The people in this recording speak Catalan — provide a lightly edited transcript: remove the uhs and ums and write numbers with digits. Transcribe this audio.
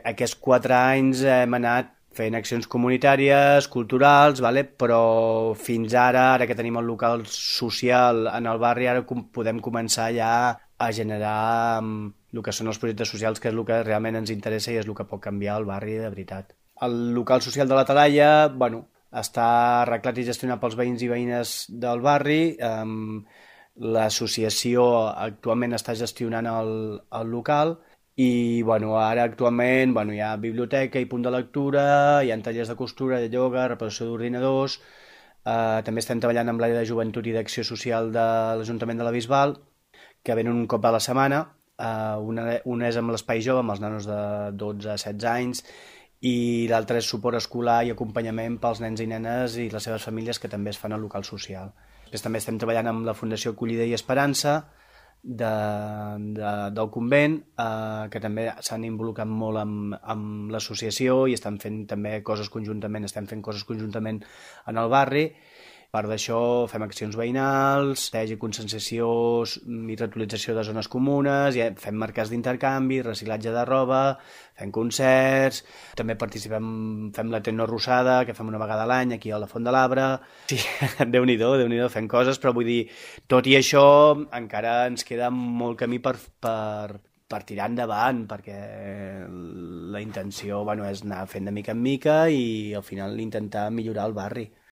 Aquests 4 anys hem anat fent accions comunitàries, culturals, però fins ara que tenim el local social en el barri, ara podem començar ja a generar el que són els projectes socials, que és el que realment ens interessa i és el que pot canviar el barri de veritat. El local social de la Talaia, està arreglat i gestionat pels veïns i veïnes del barri. L'associació actualment està gestionant el local i ara actualment hi ha biblioteca i punt de lectura, hi ha tallers de costura, de ioga, reparació d'ordinadors, també estem treballant amb l'àrea de joventut i d'acció social de l'Ajuntament de la Bisbal, que venen un cop a la setmana, una és amb l'espai jove, amb els nanos de 12 a 16 anys, i l'altre és suport escolar i acompanyament pels nens i nenes i les seves famílies que també es fan al local social. Després també estem treballant amb la Fundació Acollida i Esperança del convent, que també s'han involucrat molt amb l'associació i estan fent també coses conjuntament, en el barri. A part d'això fem accions veïnals, i conscienciació i reutilització de zones comunes, fem mercats d'intercanvi, reciclatge de roba, fem concerts, també fem la Tecno Rosada, que fem una vegada a l'any aquí a la Font de l'Arbre. Sí, Déu-n'hi-do, fem coses, però vull dir, tot i això encara ens queda molt camí per tirar endavant, perquè la intenció és anar fent de mica en mica i al final intentar millorar el barri.